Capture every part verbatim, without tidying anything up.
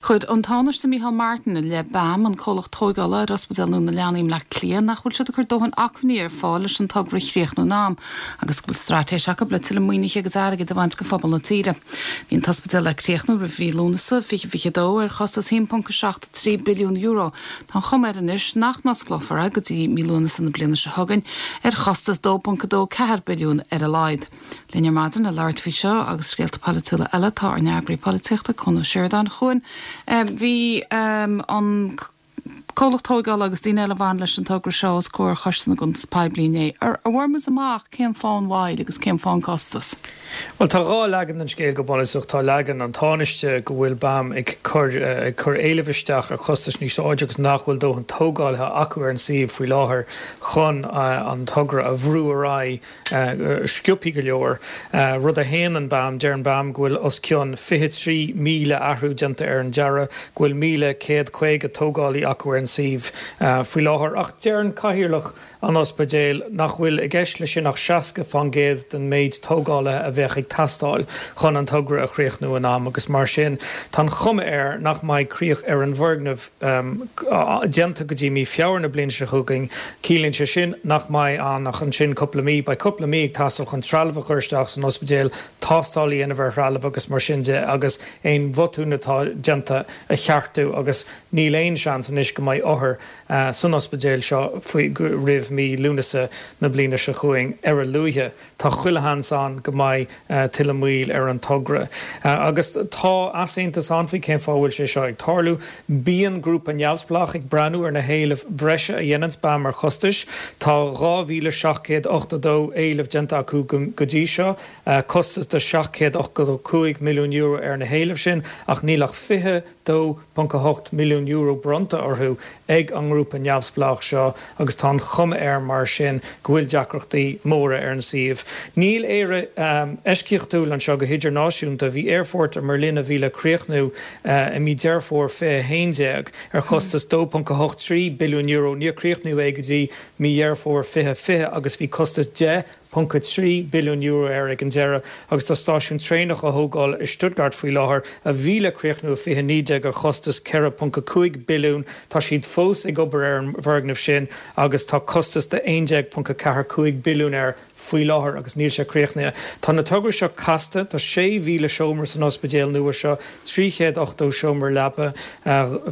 Chuir an Tánaiste Micheál Martin i leith BAM an comhlacht tógála ar Ospidéal Nua na Leanaí i mBleá Cliath nach bhfuil siad ag cur dóthain acmhainní ar fáil leis an togra a chríochnú in am, agus go bhfuil straitéis acu le tuilleadh maoinithe agus airgid a bhaint go phobal na tíre. Bhí an t-ospidéal le críochnú roimh mhí Lúnasa fiche fiche dó ar chostas haon ponc seacht trí billiún euro. Tá an chuma air anois nach n-osclófar é go dtí mí Lúnasa na bliana seo chugainn ar chostas dó ponc dó ceathair billiún ar a laghad. Linn ar maidin le labhairt faoi seo agus scéalta polaitiúla eile tá ár n-eagraí polaitíochta Cuan Ó Seireadáin. A Chuain. Bhí an comhlacht tógála agus daoine eile a bhain leis an togra seo os comhair Choiste na gCuntas Poiblí inné. Ar bhfuair muid amach cén fáth an mhoill agus cén fáth an costas? Well tá dhá leagan den scéal go bunúsach tá leagan an Tánaiste go bhfuil BAM ag cur ag cur éilimh isteach ar chostas níos airde agus nach bhfuil dóthain tógálaithe acu ar an suíomh faoi láthair chun an togra a bhrú ar aghaidh sciobtha go leor. Rud a shéanann BAM deir an BAM go bhfuil os cionn fiche trí míle athrú déanta ar an dearadh, go bhfuil míle céad caoga tógálaí acu ar an suíomh faoi láthair ach deir an cathaoirleach an ospidéil nach bhfuil i gceist leis sin ach seasca faoin gcéad den méid tógálaithe a bheadh ag teastáil chun an togra a chríochnú in am agus mar sin tá an chuma air nach mbeidh críoch ar an bhfoirgneamh déanta go dtí mí Feabhra na bliana seo chugainn. Ciallaíonn sé sin nach mbeidh ann ach ansin cúpla mí, beidh cúpla mí ag teastáil chun trealamh a chur isteach san ospidéal, tástáil a dhéanamh ar threalamh agus mar sin de agus aon bhotún atá déanta a cheartú agus níl aon seans anois go mbeidh othair san ospidéal seo faoi roimh mí Lúnasa na bliana seo chugainn ar a luaithe. Tá chuile sheans ann go mbeidh tuilleadh moill ar an togra. Agus tá easaontas ann faoi cén fáth a bhfuil sé seo ag tarlú. Bíonn grúpa neamhspleách ag breathnú ar na héilimh bhreise a dhéananns BAM ar chostais. Tá dhá mhíle seacht gcéad ochtó dó éileamh déanta acu go dtí seo, costas de seacht gcéad ochtó cúig milliún euro ar na héilimh sin, ach níl ach fiche dó ponc a hocht milliún euro bronnta orthu ag an ngrúpa neamhspleách seo agus tá an chuma air mar sin go bhfuil deacrachtaí móra ar an suíomh. Níl Éire eisceachtúil anseo go hidirnáisiúnta. Bhí aerfort i mBerlin a bhí le críochnú i mí Deireadh Fómhair fiche a haon déag ar chostas dó ponc a hocht trí billiún euro. Níor críochnaíodh é go dtí mí Dheireadh Fómhair fiche fiche agus bhí costas deich ponc a trí billiún euro air ag an deireadh agus tá stáisiún traenach á thógáil i Stuttgart faoi láthair a bhí le críochnú i fiche naoi déag ar chostas ceithre ponc a cúig billiún. Tá siad fós ag obair ar an bhfoirgneamh sin agus tá costas de aon déag ponc a ceathair cúig billiún air faoi láthair agus níl sé críochnaithe. Tá na tograí seo casta, tá sé mhíle seomra san ospidéal nua seo, trí chéad ochtó seomra leapa,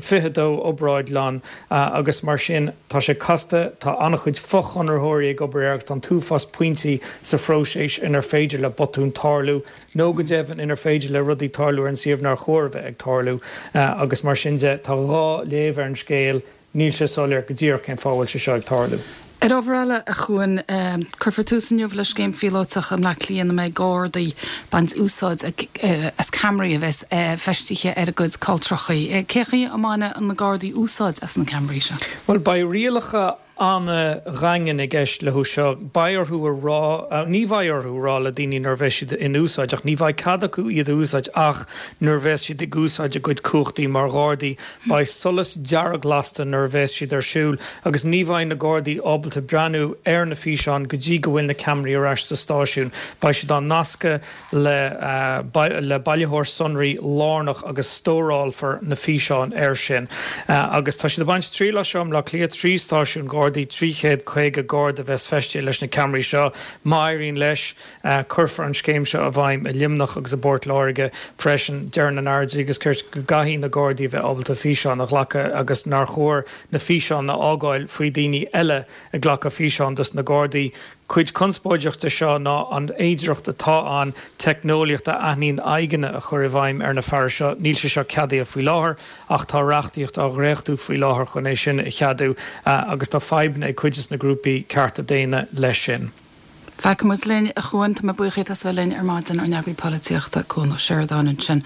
fiche dó obráidlann agus mar sin tá sé casta, tá an-chuid fochonraitheoirí ag obair air agus tá an t-uafás pointí sa phróiseas inar féidir le botúin tarlú nó go deimhin inar féidir le rudaí tarlú ar an suíomh nár chóir a bheith ag tarlú agus mar sin de tá dhá léamh ar an scéal, níl sé soiléir go díreach cén fáth a bhfuil sé seo ag tarlú. Ar ábhar eile, a Chuain, cuirfear tús inniu le scéim phíolótach i mBleá Cliath ina mbeidh Gardaí ag baint úsáid as ceamaraí a bheas feistithe ar a gcuid caltrachaí. Cén chaoi a mbainfidh na Gardaí úsáid as na ceamaraí seo? Bhuel, beidh rialacha an-dhaingean i gceist leo seo. Beidh orthu a rá, ní bheidh orthu a rá le daoine nuair a bheas siad in úsáid, ach ní bheidh cead acu iad a úsáid ach nuair a bheas siad ag úsáid a gcuid cumhachtaí mar Ghardaí. Beidh solas dearg lasta nuair a bheas siad ar siúl agus ní bheidh na Gardaí ábalta breathnú ar na físeáin go dtí go bhfuil na ceamaraí ar ais sa stáisiún. Beidh siad á nascadh le le bailitheoir sonraí lárnach agus stórálfar na físeáin air sin. Agus tá siad ag baint triail as seo i mBleá Cliath, trí stáisiún Gardaí, trí chéad caoga Garda a bheas feistithe leis na ceamaraí seo. Má éiríonn leis, cuirfear an scéim seo i bhfeidhm i Luimneach agus i bPort Láirge freisin. Deireann an Aire Dlí agus Cirt go gcaithfidh na Gardaí a bheith ábalta físeáin a ghlacadh agus nár chóir na físeáin a fhágáil faoi daoine eile ag glacadh físeán dos na Gardaí. Cuid conspóideach de seo ná an fhéidearthacht atá ann teicneolaíocht a aithníonn aghaidheanna a chur i bhfeidhm ar na fearais seo. Níl sé seo ceadaithe faoi láthair ach tá reachtaíocht á dhréachtú faoi láthair chun é sin a cheadú agus tá fadhbanna ag cuid de na grúpaí cearta daonna leis sin. Feicfidh muid linn, a Chuain. Tá mé buíoch díot as a bheith linn ar maidin, ár n-eagraí polaitíochta, Cuan Ó Seireadáin ansin.